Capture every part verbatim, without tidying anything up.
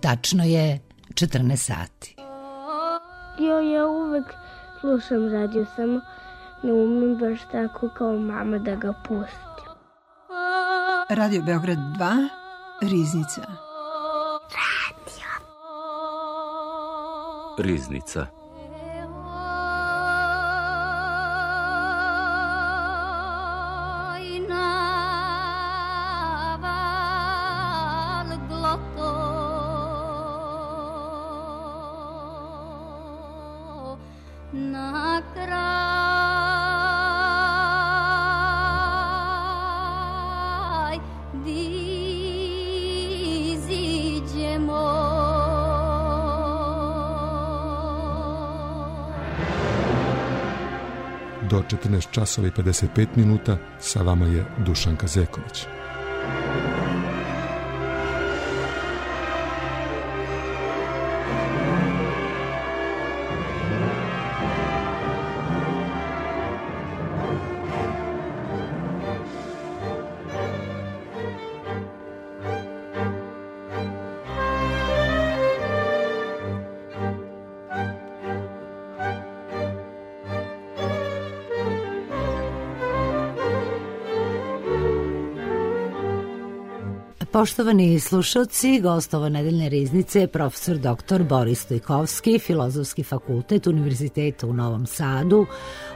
Tačno je četrnaest sati. Jo, ja uvek slušam radio, samo ne umem baš tako kao mama da ga pustim. Radio Beograd dva, Riznica. Radio. Riznica. Do četrnaest časova i pedeset pet minuta sa vama je Dušan Kazeković. Poštovani slušalci, gost ove nedeljne riznice je profesor doktor Boris Stojkovski, Filozofski fakultet Univerziteta u Novom Sadu,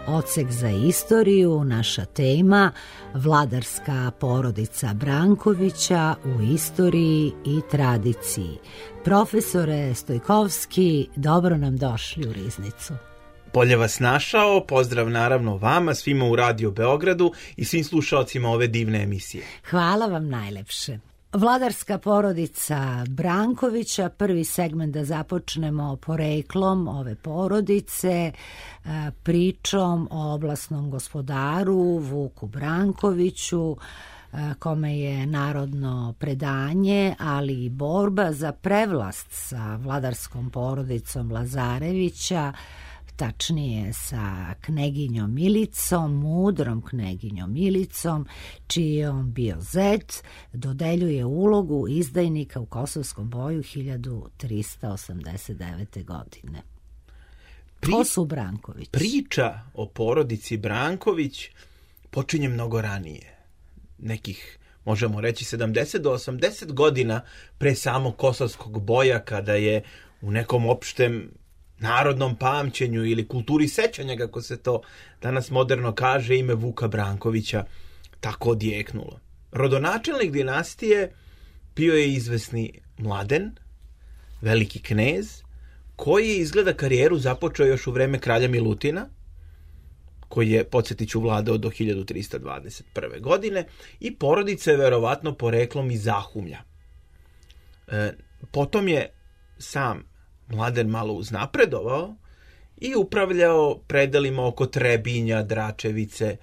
odsek za istoriju. Naša tema vladarska porodica Brankovića u istoriji i tradiciji. Profesore Stojkovski, dobro nam došli u riznicu. Bolje vas našao, pozdrav naravno vama, svima u Radio Beogradu i svim slušalcima ove divne emisije. Hvala vam najlepše. Vladarska porodica Brankovića, prvi segment da započnemo poreklom ove porodice, pričom o oblasnom gospodaru Vuku Brankoviću, kome je narodno predanje, ali i borba za prevlast sa vladarskom porodicom Lazarevića, tačnije sa kneginjom Milicom, mudrom kneginjom Milicom, čiji je on bio zet, dodeljuje ulogu izdajnika u Kosovskom boju hiljadu trista osamdeset devete. godine. Pri... Ko su Branković? Priča o porodici Branković počinje mnogo ranije. Nekih, možemo reći, sedamdeset do osamdeset godina pre samog Kosovskog boja, kada je u nekom opštem narodnom pamćenju ili kulturi sećanja, kako se to danas moderno kaže, ime Vuka Brankovića tako odjeknulo. Rodonačelnik dinastije bio je izvesni Mladen, veliki knez, koji je izgleda karijeru započeo još u vreme kralja Milutina, koji je, podsjetit ću, vladao do hiljadu trista dvadeset prve. godine, i porodica je verovatno poreklom iz Zahumlja. E, potom je sam Mladen malo uznapredovao i upravljao predelima oko Trebinja, Dračevice.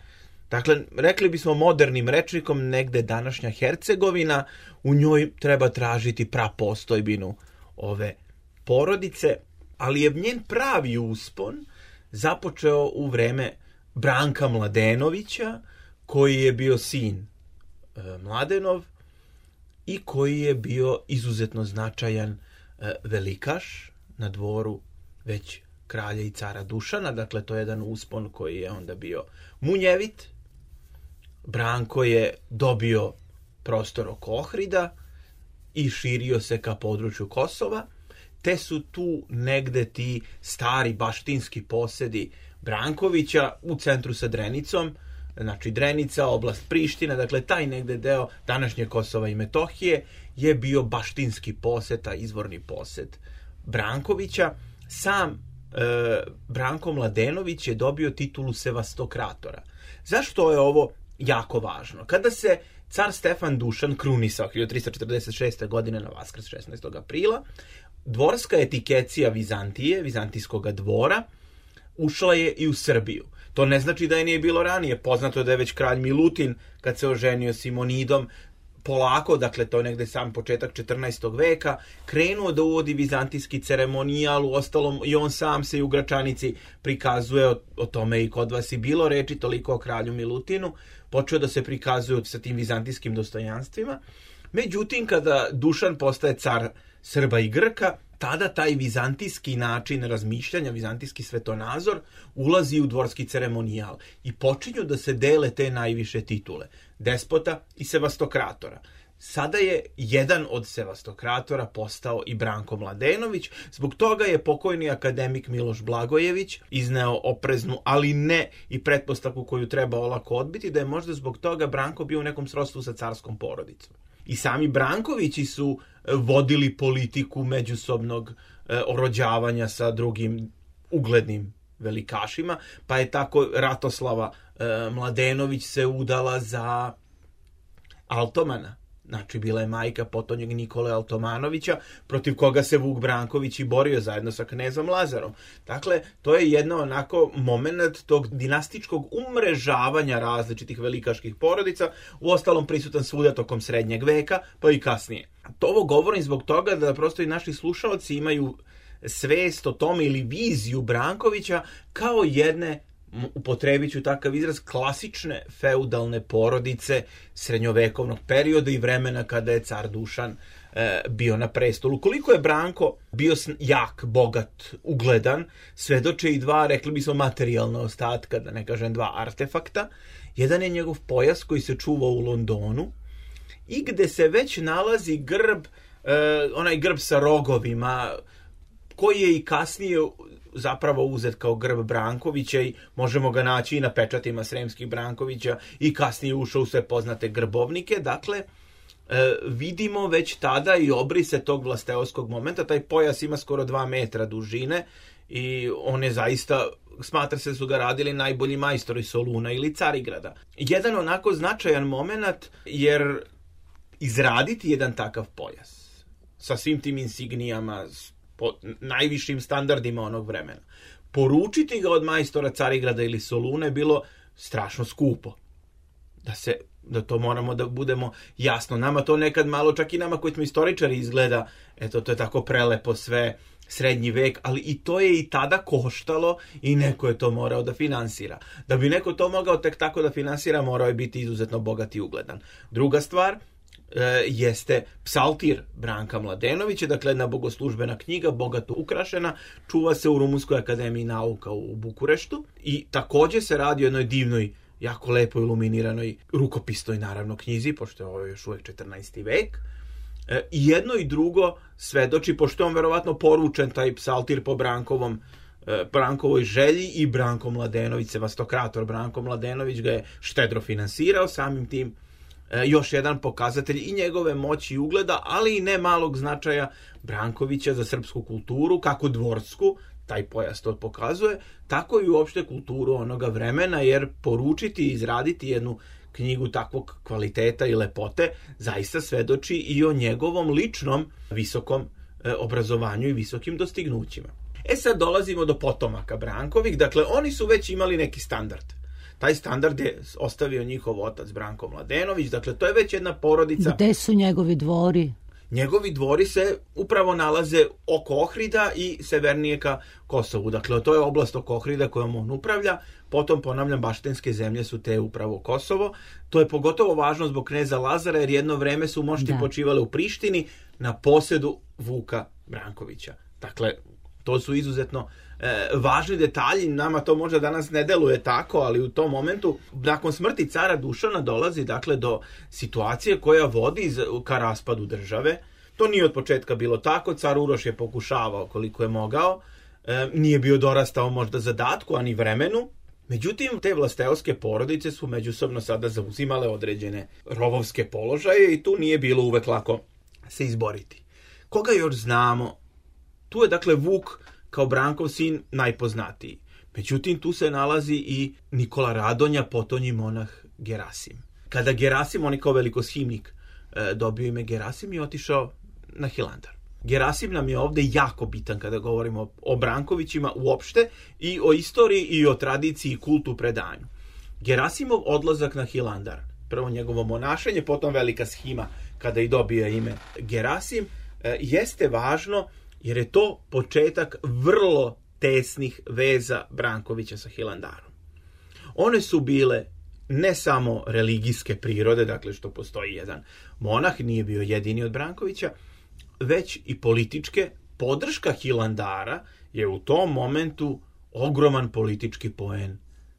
Dakle, rekli bismo modernim rečnikom, negde današnja Hercegovina, u njoj treba tražiti prapostojbinu ove porodice, ali je njen pravi uspon započeo u vreme Branka Mladenovića, koji je bio sin e, Mladenov i koji je bio izuzetno značajan e, velikaš na dvoru već kralja i cara Dušana. Dakle, to je jedan uspon koji je onda bio munjevit. Branko je dobio prostor oko Ohrida i širio se ka području Kosova, te su tu negde ti stari baštinski posedi Brankovića u centru sa Drenicom, znači Drenica, oblast Priština, dakle taj negde deo današnje Kosova i Metohije je bio baštinski posed, a izvorni posed Brankovića. Sam e, Branko Mladenović je dobio titulu sevastokratora. Zašto je ovo jako važno? Kada se car Stefan Dušan krunisao hiljadu trista četrdeset šeste. godine na Vaskrs šesnaestog aprila, dvorska etikecija Vizantije, vizantijskog dvora, ušla je i u Srbiju. To ne znači da je nije bilo ranije. Poznato je da je već kralj Milutin, kad se oženio Simonidom, polako, dakle to je negde sam početak četrnaestog. veka, krenuo da uvodi vizantijski ceremonijal, u ostalom i on sam se i u Gračanici prikazuje, o, o tome i kod vas i bilo reči, toliko o kralju Milutinu, počeo da se prikazuje sa tim vizantijskim dostojanstvima. Međutim, kada Dušan postaje car Srba i Grka, tada taj vizantijski način razmišljanja, vizantijski svetonazor, ulazi u dvorski ceremonijal i počinju da se dele te najviše titule, despota i sevastokratora. Sada je jedan od sevastokratora postao i Branko Mladenović, zbog toga je pokojni akademik Miloš Blagojević izneo opreznu, ali ne i pretpostavku koju treba olako odbiti, da je možda zbog toga Branko bio u nekom srodstvu sa carskom porodicom. I sami Brankovići su vodili politiku međusobnog e, orođavanja sa drugim uglednim velikašima, pa je tako Ratoslava e, Mladenović se udala za Altomana. Znači, bila je majka potonjeg Nikole Altomanovića, protiv koga se Vuk Branković i borio zajedno sa knezom Lazarom. Dakle, to je jedno onako moment tog dinastičkog umrežavanja različitih velikaških porodica, u ostalom prisutan svuda tokom srednjeg veka, pa i kasnije. To ovo govorim zbog toga da prosto i naši slušalci imaju svest o tome ili viziju Brankovića kao jedne, upotrebit ću takav izraz, klasične feudalne porodice srednjovekovnog perioda i vremena kada je car Dušan e, bio na prestolu. Koliko je Branko bio jak, bogat, ugledan, svedoče i dva, rekli bismo, materijalna ostatka, da ne kažem dva artefakta. Jedan je njegov pojas koji se čuva u Londonu i gde se već nalazi grb, e, onaj grb sa rogovima, koji je i kasnije zapravo uzet kao grb Brankovića i možemo ga naći i na pečatima Sremskih Brankovića i kasnije ušao u sve poznate grbovnike. Dakle, e, vidimo već tada i obrise tog vlasteoskog momenta. Taj pojas ima skoro dva metra dužine i on je zaista, smatra se su ga radili najbolji majstori Soluna ili Carigrada. Jedan onako značajan moment, jer izraditi jedan takav pojas sa svim tim insignijama, po najvišim standardima onog vremena, poručiti ga od majstora Carigrada ili Soluna je bilo strašno skupo. Da se, da to moramo da budemo jasno. Nama to nekad malo, čak i nama koji smo istoričari, izgleda, eto, to je tako prelepo sve, srednji vek, ali i to je i tada koštalo i neko je to morao da finansira. Da bi neko to mogao tek tako da finansira, morao je biti izuzetno bogat i ugledan. Druga stvar e, jeste psaltir Branka Mladenovića, dakle jedna bogoslužbena knjiga, bogato ukrašena, čuva se u Rumunskoj akademiji nauka u Bukureštu i također se radi o jednoj divnoj, jako lepo iluminiranoj rukopisnoj naravno knjizi, pošto je ovo još uvijek četrnaesti vek. E, I jedno i drugo svedoči, pošto je on verovatno poručen taj psaltir po Brankovom, e, Brankovoj želji, i Branko Mladenović, sevastokrator Branko Mladenović ga je štedro finansirao, samim tim e, još jedan pokazatelj i njegove moći i ugleda, ali i ne malog značaja Brankovića za srpsku kulturu, kako dvorsku, taj pojas to pokazuje, tako i uopšte kulturu onoga vremena, jer poručiti i izraditi jednu knjigu takvog kvaliteta i lepote zaista svedoči i o njegovom ličnom visokom e, obrazovanju i visokim dostignućima. E sad dolazimo do potomaka Brankovih, dakle oni su već imali neki standard. Taj standard je ostavio njihov otac Branko Mladenović, dakle to je već jedna porodica. Gde su njegovi dvori? Njegovi dvori se upravo nalaze oko Ohrida i severnije ka Kosovu. Dakle, to je oblast oko Ohrida kojom on upravlja. Potom, ponavljam, baštenske zemlje su te upravo Kosovo. To je pogotovo važno zbog kneza Lazara, jer jedno vreme su mošti počivale u Prištini na posedu Vuka Brankovića. Dakle, to su izuzetno e, važni detalji. Nama to možda danas ne deluje tako, ali u tom momentu, nakon smrti cara Dušana, dolazi dakle do situacije koja vodi ka raspadu države. To nije od početka bilo tako. Car Uroš je pokušavao koliko je mogao. E, nije bio dorastao možda zadatku, ani vremenu. Međutim, te vlasteoske porodice su međusobno sada zauzimale određene rovovske položaje i tu nije bilo uvek lako se izboriti. Koga još znamo? Tu je dakle Vuk kao Brankov sin najpoznatiji. Međutim, tu se nalazi i Nikola Radonja, potonji monah Gerasim. Kada Gerasim, on je kao velikoshimnik e, dobio ime Gerasim i otišao na Hilandar. Gerasim nam je ovdje jako bitan kada govorimo o Brankovićima uopšte i o istoriji i o tradiciji i kultu predanju. Gerasimov odlazak na Hilandar, prvo njegovo monašenje, potom velika shima kada i dobije ime Gerasim, e, jeste važno jer je to početak vrlo tesnih veza Brankovića sa Hilandarom. One su bile ne samo religijske prirode, dakle što postoji jedan monah, nije bio jedini od Brankovića, već i političke. Podrška Hilandara je u tom momentu ogroman politički poen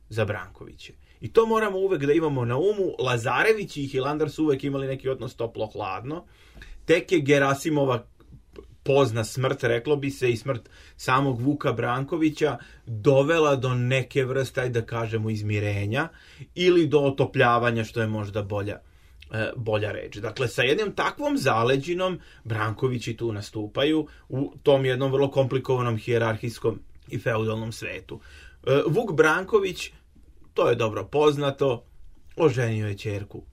za Brankoviće. I to moramo uvek da imamo na umu. Lazarević i Hilandar su uvek imali neki odnos toplo-hladno. Tek je Gerasimova pozna smrt, reklo bi se, i smrt samog Vuka Brankovića dovela do neke vrste, da kažemo, izmirenja ili do otopljavanja, što je možda bolja, bolja reč. Dakle, sa jednom takvom zaleđinom Brankovići tu nastupaju u tom jednom vrlo komplikovanom hijerarhijskom i feudalnom svetu. Vuk Branković, to je dobro poznato, oženio je ćerku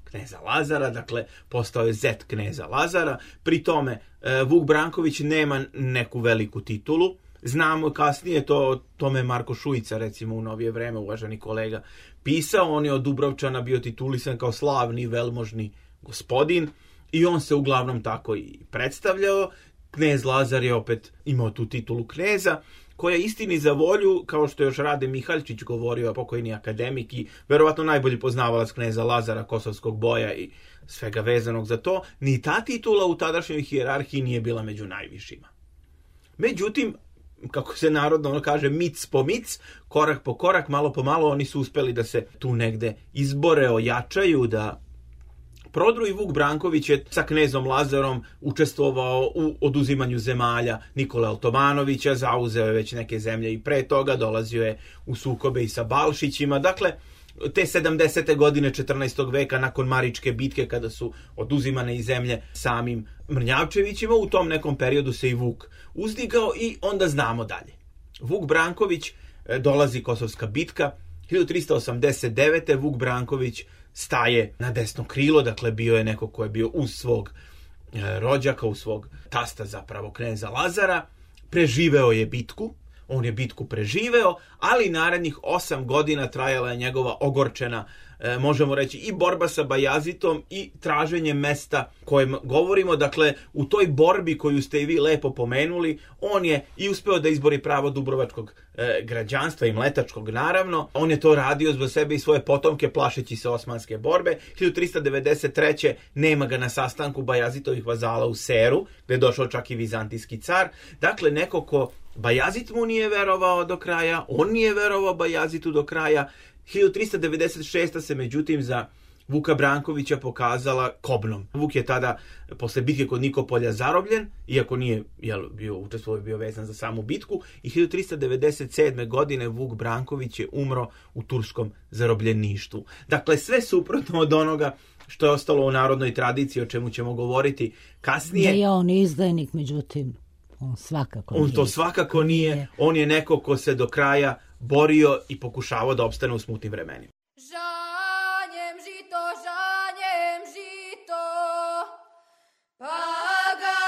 kneza Lazara, dakle postao je zet kneza Lazara. Pri tome Vuk Branković nema neku veliku titulu. Znamo kasnije, to tome Marko Šujica, recimo u novije vreme, uvaženi kolega, pisao. On je od Dubrovčana bio titulisan kao slavni velmožni gospodin i on se uglavnom tako i predstavljao. Knez Lazar je opet imao tu titulu kneza, koja istini za volju, kao što još Rade Mihaljčić govorio, pokojni akademik i verovatno najbolji poznavalac kneza Lazara, kosovskog boja i svega vezanog za to, ni ta titula u tadašnjoj hijerarhiji nije bila među najvišima. Međutim, kako se narodno ono kaže, mic po mic, korak po korak, malo po malo, oni su uspeli da se tu negde izbore, ojačaju, da prodru. I Vuk Branković je sa knezom Lazarom učestvovao u oduzimanju zemalja Nikole Altomanovića, zauzeo je već neke zemlje i pre toga, dolazio je u sukobe i sa Balšićima. Dakle, te sedamdesete godine četrnaestog veka, nakon Maričke bitke, kada su oduzimane i zemlje samim Mrnjavčevićima, u tom nekom periodu se i Vuk uzdigao i onda znamo dalje. Vuk Branković, dolazi Kosovska bitka, hiljadu trista osamdeset devete. Vuk Branković staje na desno krilo, dakle bio je neko ko je bio uz svog rođaka, uz svog tasta, zapravo kneza Lazara. Preživeo je bitku, on je bitku preživeo, ali narednih osam godina trajala je njegova ogorčena, e, možemo reći, i borba sa Bajazitom i traženje mesta kojem govorimo. Dakle, u toj borbi koju ste i vi lepo pomenuli, on je i uspeo da izbori pravo dubrovačkog e, građanstva i mletačkog, naravno. On je to radio za sebe i svoje potomke, plašeći se osmanske borbe. hiljadu trista devedeset treće. nema ga na sastanku Bajazitovih vazala u Seru, gde je došao čak i vizantijski car. Dakle, neko ko Bajazit mu nije verovao do kraja, on nije verovao Bajazitu do kraja. hiljadu trista devedeset šeste. se međutim za Vuka Brankovića pokazala kobnom. Vuk je tada, posle bitke kod Nikopolja, zarobljen, iako nije jel, bio učestvovao, bio vezan za samu bitku, i hiljadu trista devedeset sedme. godine Vuk Branković je umro u turskom zarobljeništvu. Dakle, sve suprotno od onoga što je ostalo u narodnoj tradiciji, o čemu ćemo govoriti kasnije. Da je on izdajnik, međutim, on svakako On nije. to svakako nije. On je neko ko se do kraja borio i pokušavao da opstane u smutnim vremenima. Žanjem žito, žanjem žito, pa ga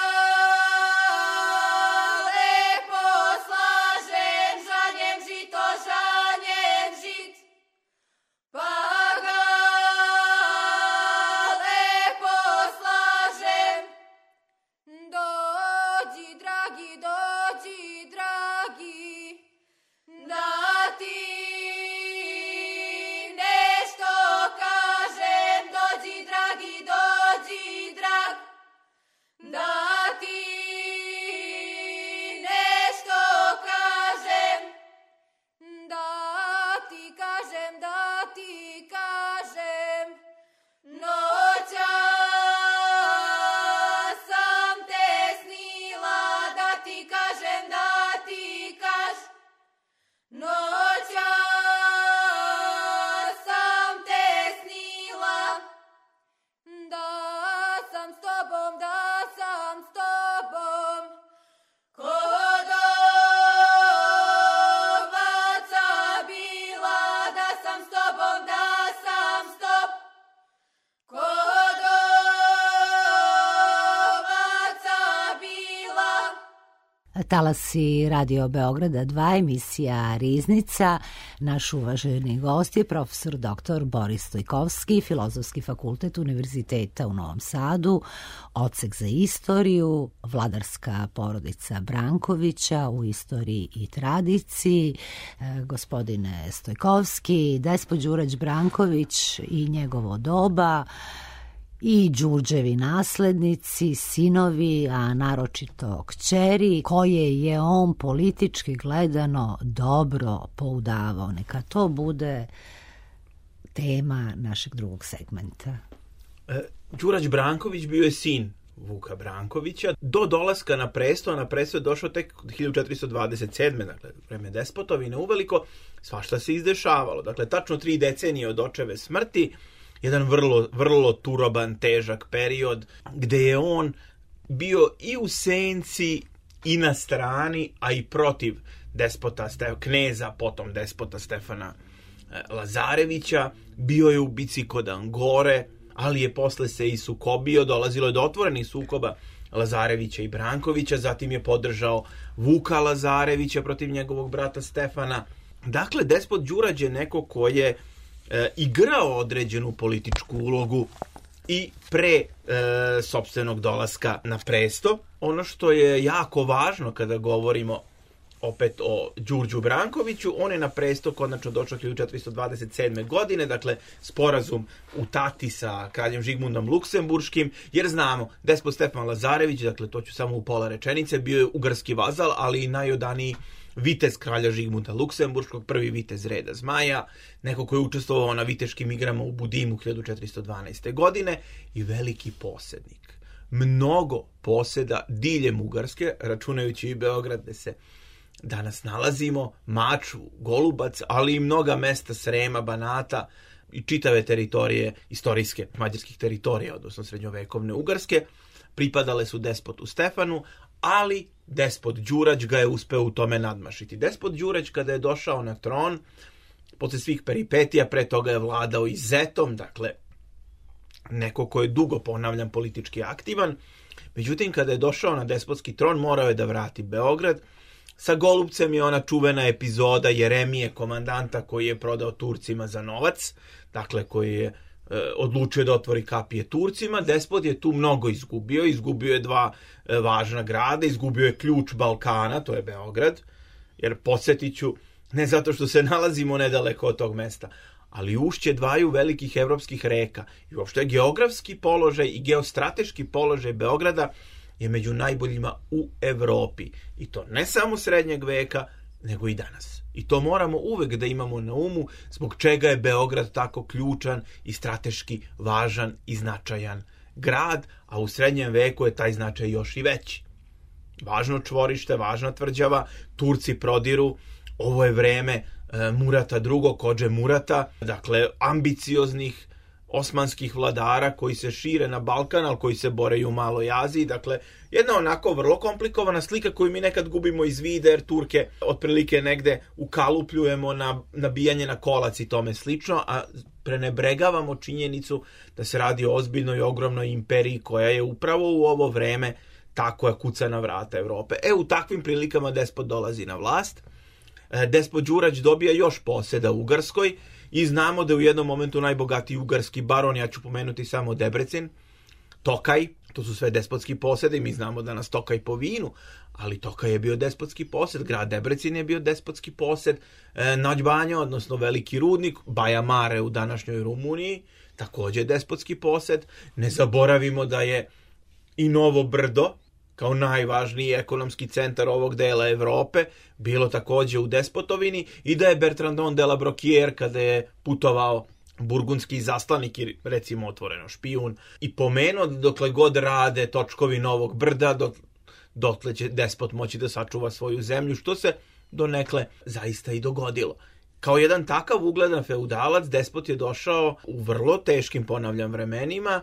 lepo slažem. Žanjem žito, žanjem žit, pa ga lepo slažem. Dođi, dragi, dođi, dragi, da ti Talasi Radio Beograda dva, emisija Riznica. Naš uvaženi gost je profesor doktor Boris Stojkovski, Filozofski fakultet Univerziteta u Novom Sadu, odsek za istoriju, vladarska porodica Brankovića u istoriji i tradiciji. E, gospodine Stojkovski, despot Đurađ Branković i njegovo doba, i Đurđevi naslednici, sinovi, a naročito kćeri, koje je on politički gledano dobro poudavao. Neka to bude tema našeg drugog segmenta. E, Đurađ Branković bio je sin Vuka Brankovića. Do dolaska na presto, na presto je došao tek hiljadu četiristo dvadeset sedme. Dakle, vreme despotovine uveliko, svašta se izdešavalo. Dakle, tačno tri decenije od očeve smrti, jedan vrlo, vrlo turoban, težak period, gde je on bio i u senci i na strani, a i protiv despota, kneza, potom despota Stefana Lazarevića. Bio je u bici kod Angore, ali je posle se i sukobio, dolazilo je do otvorenih sukoba Lazarevića i Brankovića, zatim je podržao Vuka Lazarevića protiv njegovog brata Stefana. Dakle, despot Đurađ je neko ko je e, igrao određenu političku ulogu i pre e, sopstvenog dolaska na presto. Ono što je jako važno kada govorimo opet o Đurđu Brankoviću, on je na presto konačno došao hiljadu četiristo dvadeset sedme. godine, dakle sporazum u Tati sa kraljem Žigmundom Luksemburškim, jer znamo, despot Stefan Lazarević, dakle to ću samo u pola rečenice, bio je ugarski vazal, ali i najodaniji vitez kralja Žigmunda Luksemburškog, prvi vitez reda Zmaja, neko koji je učestvovao na viteškim igrama u Budimu hiljadu četiristo dvanaeste. godine i veliki posjednik. Mnogo posjeda diljem Ugarske, računajući i Beograd gde se danas nalazimo, Maču, Golubac, ali i mnoga mesta Srema, Banata i čitave teritorije istorijske mađarskih teritorija, odnosno srednjovekovne Ugarske, pripadale su despotu Stefanu, ali despot Đurađ ga je uspeo u tome nadmašiti. Despot Đurađ kada je došao na tron, posle svih peripetija, pre toga je vladao i zetom, dakle neko ko je dugo, ponavljam, politički aktivan, međutim kada je došao na despotski tron morao je da vrati Beograd. Sa Golubcem je ona čuvena epizoda Jeremije, komandanta koji je prodao Turcima za novac, dakle koji je e, odlučio da otvori kapije Turcima. Despot je tu mnogo izgubio, izgubio je dva e, važna grada, izgubio je ključ Balkana, to je Beograd, jer podsjetit ću, ne zato što se nalazimo nedaleko od tog mesta, ali ušće dvaju velikih evropskih reka i uopšte geografski položaj i geostrateški položaj Beograda je među najboljima u Evropi. I to ne samo srednjeg veka, nego i danas. I to moramo uvek da imamo na umu, zbog čega je Beograd tako ključan i strateški važan i značajan grad, a u srednjem veku je taj značaj još i veći. Važno čvorište, važna tvrđava, Turci prodiru, ovo je vreme e, Murata drugog, Kodže Murata, dakle ambicioznih osmanskih vladara koji se šire na Balkan, ali koji se bore i u Maloj Aziji. Dakle, jedna onako vrlo komplikovana slika koju mi nekad gubimo iz vida, jer Turke otprilike negde ukalupljujemo na nabijanje na kolac i tome slično, a prenebregavamo činjenicu da se radi o ozbiljnoj i ogromnoj imperiji koja je upravo u ovo vreme ta koja kuca na vrata Evrope. E, u takvim prilikama despot dolazi na vlast. Despot Đurađ dobija još poseda u Ugarskoj, i znamo da je u jednom momentu najbogatiji ugarski baron, ja ću pomenuti samo Debrecin, Tokaj, to su sve despotski posede i mi znamo da nas Tokaj po vinu, ali Tokaj je bio despotski posed, grad Debrecin je bio despotski posed, e, Nađbanja, odnosno veliki rudnik, Baja Mare u današnjoj Rumuniji, također despotski posed. Ne zaboravimo da je i Novo Brdo, kao najvažniji ekonomski centar ovog dela Evrope, bilo također u despotovini, i da je Bertrandon de la Brocquière, kada je putovao burgundski zaslanik i recimo otvoreno špijun, i pomenuo dokle god rade točkovi Novog Brda, dok, dotle će despot moći da sačuva svoju zemlju, što se donekle zaista i dogodilo. Kao jedan takav ugledan feudalac, despot je došao u vrlo teškim, ponavljam, vremenima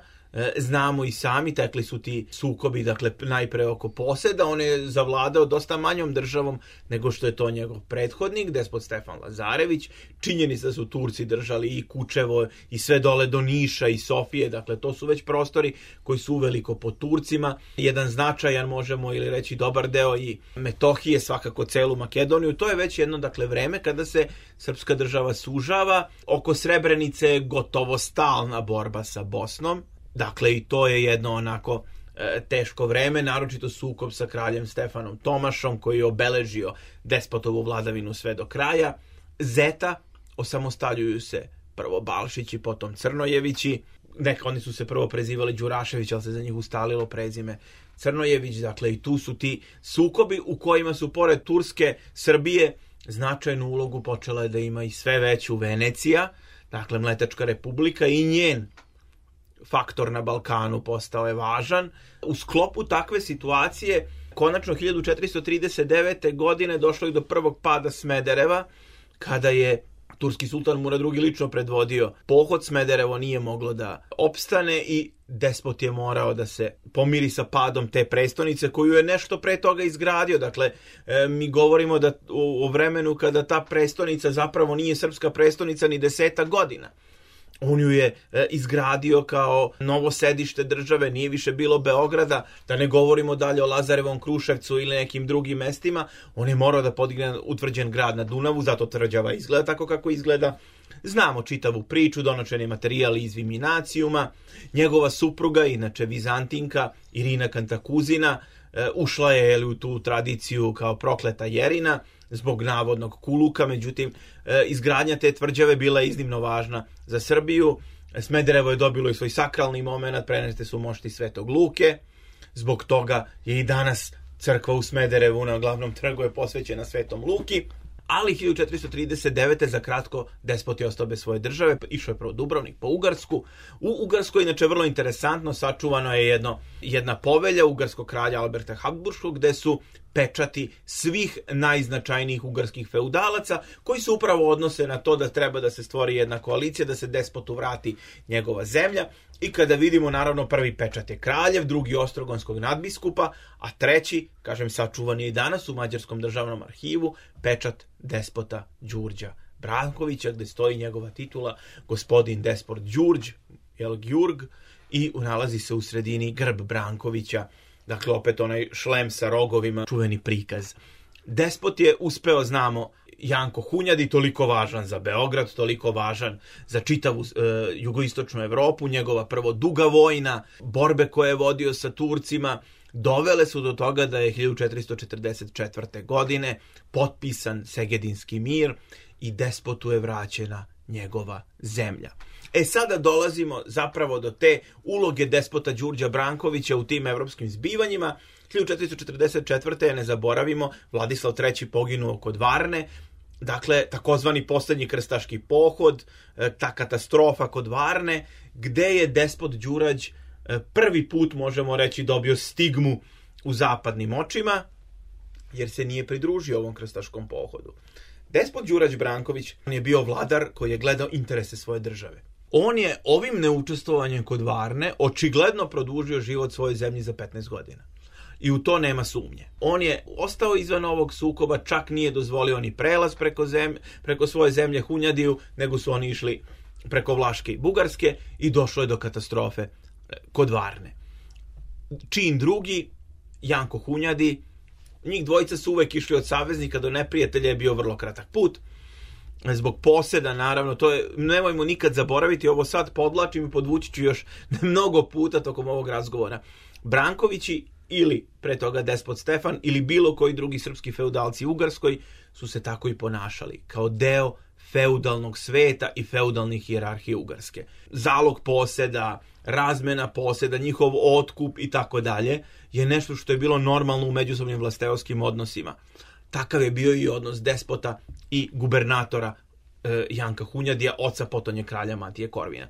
Znamo i sami, tekli su ti sukobi, dakle, najpre oko poseda, on je zavladao dosta manjom državom nego što je to njegov prethodnik, despot Stefan Lazarević. Činjenica da su Turci držali i Kučevo i sve dole do Niša i Sofije, dakle, to su već prostori koji su uveliko pod Turcima. Jedan značajan, možemo ili reći dobar deo i Metohije, svakako celu Makedoniju. To je već jedno, dakle, vreme kada se srpska država sužava. Oko Srebrenice je gotovo stalna borba sa Bosnom. Dakle, i to je jedno onako e, teško vreme, naročito sukob sa kraljem Stefanom Tomašom, koji je obeležio despotovu vladavinu sve do kraja. Zeta, osamostaljuju se prvo Balšići, potom Crnojevići. Neka, oni su se prvo prezivali Đurašević, ali se za njih ustalilo prezime Crnojević. Dakle, i tu su ti sukobi u kojima su, pored Turske, Srbije, značajnu ulogu počela je da ima i sve veću Venecija, dakle, Mletačka republika, i njen faktor na Balkanu postao je važan. U sklopu takve situacije, konačno hiljadu četiristo trideset devete. godine došlo je do prvog pada Smedereva, kada je turski sultan Murad drugi. lično predvodio pohod. Smederevo nije moglo da opstane i despot je morao da se pomiri sa padom te prestonice koju je nešto pre toga izgradio. Dakle, e, mi govorimo da o, o vremenu kada ta prestonica zapravo nije srpska prestonica ni deseta godina. On ju je e, izgradio kao novo sedište države, nije više bilo Beograda, da ne govorimo dalje o Lazarevom Kruševcu ili nekim drugim mestima. On je morao da podigne utvrđen grad na Dunavu, zato tvrđava izgleda tako kako izgleda. Znamo čitavu priču, donošen je materijal iz Viminacijuma. Njegova supruga, inače Vizantinka, Irina Kantakuzina, e, ušla je jeli, u tu tradiciju kao prokleta Jerina zbog navodnog kuluka, međutim, e, izgradnja te tvrđave bila je iznimno važna za Srbiju. Smederevo je dobilo i svoj sakralni moment, preneste su mošti Svetog Luke, zbog toga je i danas crkva u Smederevu na glavnom trgu je posvećena Svetom Luki. Ali hiljadu četiristo trideset devete. za kratko despot je ostao bez svoje države, išao je prvo Dubrovnik po Ugarsku. U Ugarskoj, inače vrlo interesantno, sačuvano je jedno, jedna povelja ugarskog kralja Alberta Habsburškog, gde su pečati svih najznačajnijih ugarskih feudalaca, koji se upravo odnose na to da treba da se stvori jedna koalicija, da se despotu vrati njegova zemlja. I kada vidimo, naravno, prvi pečat je kraljev, drugi ostrogonskog nadbiskupa, a treći, kažem, sačuvan je i danas u Mađarskom državnom arhivu, pečat despota Đurđa Brankovića, gde stoji njegova titula gospodin despot Đurđ, jel, Gjurg, i nalazi se u sredini grb Brankovića, dakle, opet onaj šlem sa rogovima, čuveni prikaz. Despot je uspeo, znamo, Janko Hunjadi, toliko važan za Beograd, toliko važan za čitavu e, jugoistočnu Evropu, njegova prvo duga vojna, borbe koje je vodio sa Turcima, dovele su do toga da je hiljadu četiristo četrdeset četvrte. godine potpisan Segedinski mir i despotu je vraćena njegova zemlja. E sada dolazimo zapravo do te uloge despota Đurđa Brankovića u tim evropskim zbivanjima. hiljadu četiristo četrdeset četvrte. ne zaboravimo, Vladislav treći. poginuo kod Varne, dakle, takozvani posljednji krstaški pohod, ta katastrofa kod Varne, gde je despot Đurađ prvi put, možemo reći, dobio stigmu u zapadnim očima, jer se nije pridružio ovom krstaškom pohodu. Despot Đurađ Branković, on je bio vladar koji je gledao interese svoje države. On je ovim neučestvovanjem kod Varne očigledno produžio život svoje zemlji za petnaest godina. I u to nema sumnje. On je ostao izvan ovog sukoba, čak nije dozvolio ni prelaz preko, zemlje, preko svoje zemlje Hunjadiju, nego su oni išli preko Vlaške i Bugarske i došlo je do katastrofe kod Varne. Čin drugi, Janko Hunjadi, njih dvojica su uvek išli od saveznika do neprijatelja, je bio vrlo kratak put. Zbog poseda, naravno, to je, nemojmo nikad zaboraviti, ovo sad podlačim i podvući ću još mnogo puta tokom ovog razgovora. Brankovići ili pre toga despot Stefan ili bilo koji drugi srpski feudalci u Ugarskoj su se tako i ponašali, kao deo feudalnog sveta i feudalnih hijerarhije Ugarske. Zalog poseda, razmena poseda, njihov otkup i tako dalje je nešto što je bilo normalno u međusobnim vlasteoskim odnosima. Takav je bio i odnos despota i gubernatora e, Janka Hunjadija, oca potonje kralja Matije Korvina.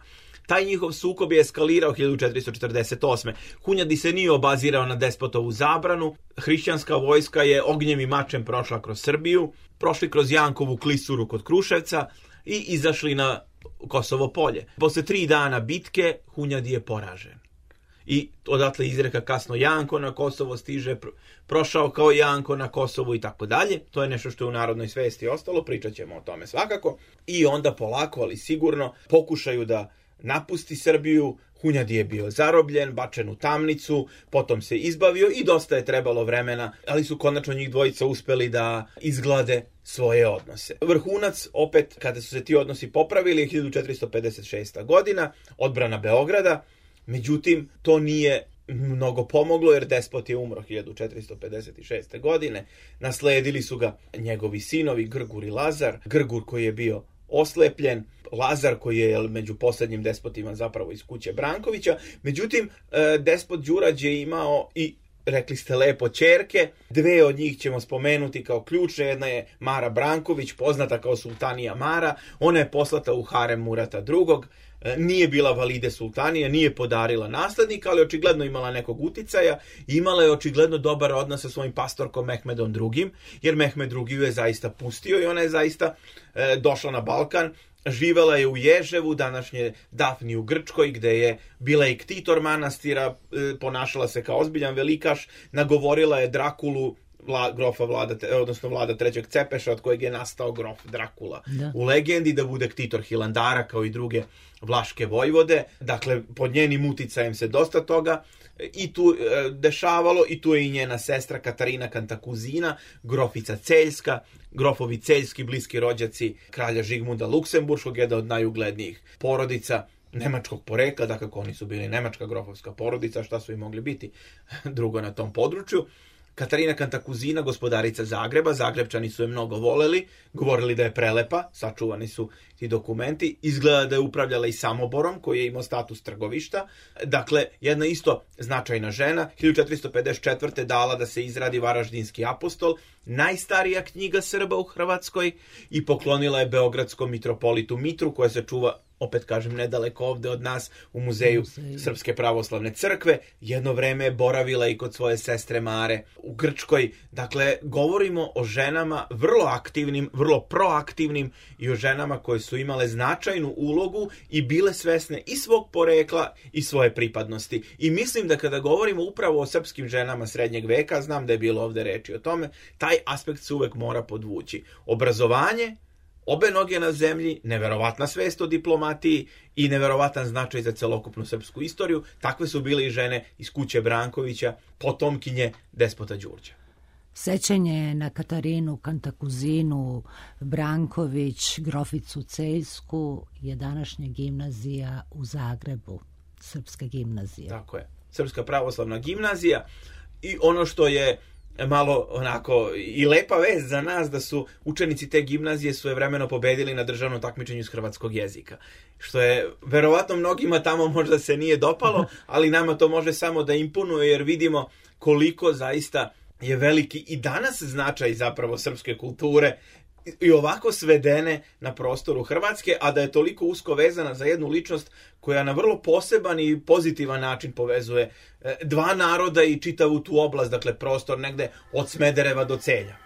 Taj njihov sukob je eskalirao hiljadu četiristo četrdeset osme. Hunjadi se nije obazirao na despotovu zabranu. Hrišćanska vojska je ognjem i mačem prošla kroz Srbiju, prošli kroz Jankovu klisuru kod Kruševca i izašli na Kosovo polje. Posle tri dana bitke Hunjadi je poražen. i odatle izreka kasno Janko na Kosovo stiže, prošao kao Janko na Kosovu i tako dalje. To je nešto što je u narodnoj svesti ostalo, pričat ćemo o tome svakako. I onda polako, ali sigurno, pokušaju da napusti Srbiju. Hunjadi je bio zarobljen, bačen u tamnicu, potom se izbavio i dosta je trebalo vremena, ali su konačno njih dvojica uspeli da izglade svoje odnose. Vrhunac, opet, kada su se ti odnosi popravili, je hiljadu četiristo pedeset šesta godina, odbrana Beograda, međutim, to nije mnogo pomoglo jer despot je umro hiljadu četiristo pedeset šeste godine, nasledili su ga njegovi sinovi Grgur i Lazar, Grgur koji je bio oslepljen, Lazar koji je među posljednjim despotima zapravo iz kuće Brankovića. Međutim, despot Đurađ je imao i, rekli ste lepo, ćerke. Dve od njih ćemo spomenuti kao ključne. Jedna je Mara Branković, poznata kao sultanija Mara. Ona je poslata u harem Murata drugog. Nije bila valide sultanija, nije podarila naslednika, ali očigledno imala nekog uticaja. Imala je očigledno dobar odnos sa svojim pastorkom Mehmedom drugim, jer Mehmed drugi ju je zaista pustio i ona je zaista e, došla na Balkan. Živela je u Ježevu, današnje Dafni u Grčkoj, gde je bila i ktitor manastira, e, ponašala se kao ozbiljan velikaš, nagovorila je Drakulu, Vla, grofa Vlada, odnosno Vlada trećeg Cepeša, od kojeg je nastao grof Drakula da. U legendi, da bude ktitor Hilandara kao i druge vlaške vojvode. Dakle, pod njenim uticajem se dosta toga i tu e, dešavalo, i tu je i njena sestra Katarina Kantakuzina, grofica Celjska, grofovi Celjski, bliski rođaci kralja Žigmunda Luksemburškog, jedna od najuglednijih porodica nemačkog porekla, dakle oni su bili nemačka grofovska porodica, šta su i mogli biti drugo na tom području. Katarina Kantakuzina, gospodarica Zagreba, Zagrebčani su je mnogo voleli, govorili da je prelepa, sačuvani su ti dokumenti, izgleda da je upravljala i Samoborom, koji je imao status trgovišta. Dakle, jedna isto značajna žena, hiljadu četiristo pedeset četvrte dala da se izradi Varaždinski apostol, najstarija knjiga Srba u Hrvatskoj, i poklonila je beogradskom mitropolitu Mitru, koja se čuva, opet kažem, nedaleko ovde od nas, u muzeju Srpske pravoslavne crkve. Jedno vreme je boravila i kod svoje sestre Mare u Grčkoj. Dakle, govorimo o ženama vrlo aktivnim, vrlo proaktivnim i o ženama koje su imale značajnu ulogu i bile svesne i svog porekla i svoje pripadnosti. I mislim da kada govorimo upravo o srpskim ženama srednjeg veka, znam da je bilo ovde reči o tome, taj aspekt se uvek mora podvući. Obrazovanje, obe noge na zemlji, neverovatna svest o diplomatiji i neverovatan značaj za celokupnu srpsku istoriju. Takve su bile i žene iz kuće Brankovića, potomkinje despota Đurđa. Sećanje na Katarinu Kantakuzinu Branković, groficu Celjsku, je današnja gimnazija u Zagrebu, srpska gimnazija. Tako je, Srpska pravoslavna gimnazija. I ono što je malo onako i lepa vest za nas, da su učenici te gimnazije svojevremeno pobedili na državnom takmičenju iz hrvatskog jezika. Što je verovatno mnogima tamo možda se nije dopalo, ali nama to može samo da imponuje, jer vidimo koliko zaista je veliki i danas značaj zapravo srpske kulture i ovako svedene na prostoru Hrvatske, a da je toliko usko vezana za jednu ličnost koja na vrlo poseban i pozitivan način povezuje dva naroda i čitavu tu oblast, dakle prostor negde od Smedereva do Celja.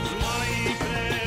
Zla i pre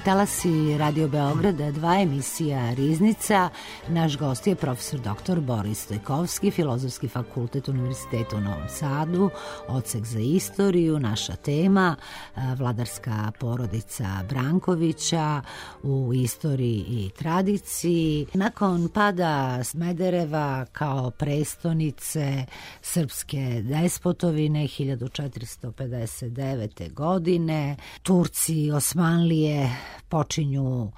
talasi Radio Beograda dva, emisija Riznica. Naš gost je profesor doktor Boris Stojkovski, Filozofski fakultet Univerziteta u Novom Sadu, odsek za istoriju. Naša tema vladarska porodica Brankovića u istoriji i tradiciji. Nakon pada Smedereva kao prestonice srpske despotovine hiljadu četiristo pedeset devete. godine, Turci, Osmanlije počinju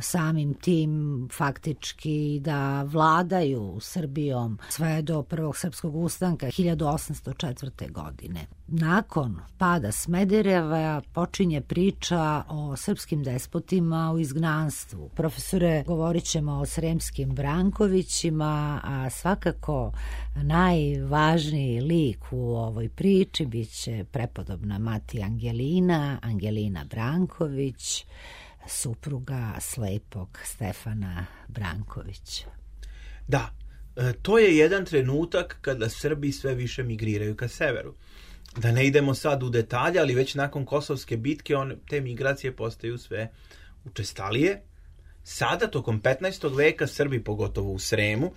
samim tim faktički da vladaju Srbijom sve do prvog srpskog ustanka hiljadu osamsto četvrte. godine. Nakon pada Smedereva počinje priča o srpskim despotima u izgnanstvu. Profesore, govorit ćemo o sremskim Brankovićima, a svakako najvažniji lik u ovoj priči biće prepodobna mati Angelina, Angelina Branković, supruga slepog Stefana Brankovića. Da, to je jedan trenutak kada Srbi sve više migriraju ka severu. Da ne idemo sad u detalje, ali već nakon Kosovske bitke on, te migracije postaju sve učestalije. Sada, tokom petnaestog veka, Srbi, pogotovo u Sremu,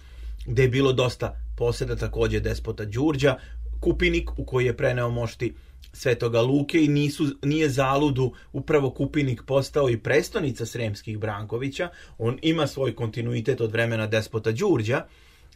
gde je bilo dosta poseda takođe despota Đurđa, Kupinik u koji je preneo mošti Svetoga Luke i nisu, nije zaludu upravo Kupinik postao i prestonica sremskih Brankovića. On ima svoj kontinuitet od vremena despota Đurđa,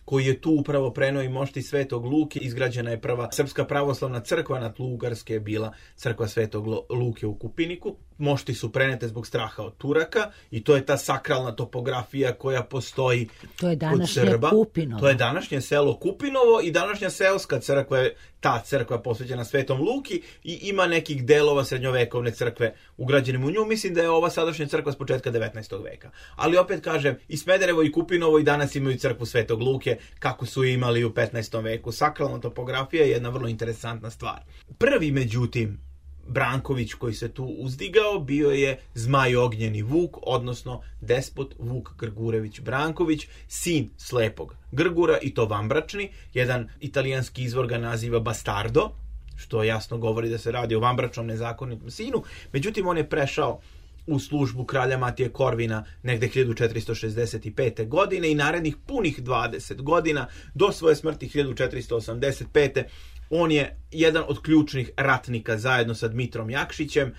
koji je tu upravo preneo i mošti Svetog Luke. Izgrađena je prva srpska pravoslavna crkva na tlu Ugarske, je bila crkva Svetog Luke u Kupiniku. Mošti su prenete zbog straha od Turaka i to je ta sakralna topografija koja postoji to je kod Srba. Kupinovo. To je današnje selo Kupinovo i današnja seoska crkva je ta crkva posvećena Svetom Luki i ima nekih delova srednjovekovne crkve ugrađenim u nju. Mislim da je ova sadašnja crkva s početka devetnaestog veka. Ali opet kažem, i Smederevo i Kupinovo i danas imaju crkvu Svetog Luke kako su imali u petnaestom veku. Sakralna topografija je jedna vrlo interesantna stvar. Prvi, međutim, Branković koji se tu uzdigao bio je Zmaj Ognjeni Vuk, odnosno despot Vuk Grgurević Branković, sin slepog Grgura, i to vanbračni. Jedan italijanski izvor ga naziva bastardo, što jasno govori da se radi o vanbračnom nezakonitom sinu. Međutim, on je prešao u službu kralja Matije Korvina negde hiljadu četiristo šezdeset pete. godine i narednih punih dvadeset godina do svoje smrti hiljadu četiristo osamdeset pete. On je jedan od ključnih ratnika zajedno sa Dmitrom Jakšićem.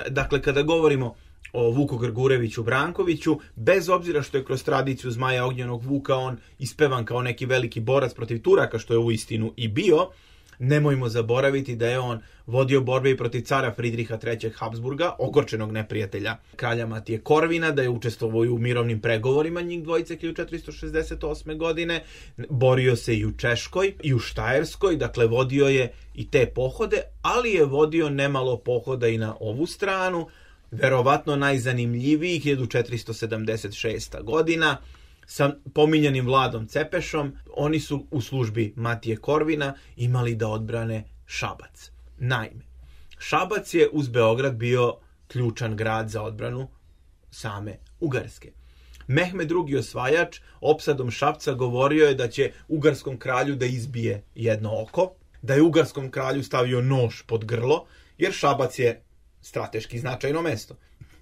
Dakle, kada govorimo o Vuku Grgureviću Brankoviću, bez obzira što je kroz tradiciju Zmaja Ognjenog Vuka on ispevan kao neki veliki borac protiv Turaka, što je uistinu i bio, nemojmo zaboraviti da je on vodio borbe i protiv cara Fridriha trećeg Habsburga, ogorčenog neprijatelja kralja Matije Korvina, da je učestvovao u mirovnim pregovorima njih dvojice hiljadu četiristo šezdeset osme. godine, borio se i u Češkoj i u Štajerskoj, dakle vodio je i te pohode, ali je vodio nemalo pohoda i na ovu stranu. Verovatno najzanimljiviji hiljadu četiristo sedamdeset šesta. godina, sa pominjanim Vladom Cepešom. Oni su u službi Matije Korvina imali da odbrane Šabac. Naime, Šabac je uz Beograd bio ključan grad za odbranu same Ugarske. Mehmed drugi osvajač opsadom Šapca govorio je da će ugarskom kralju da izbije jedno oko, da je ugarskom kralju stavio nož pod grlo, jer Šabac je strateški značajno mesto.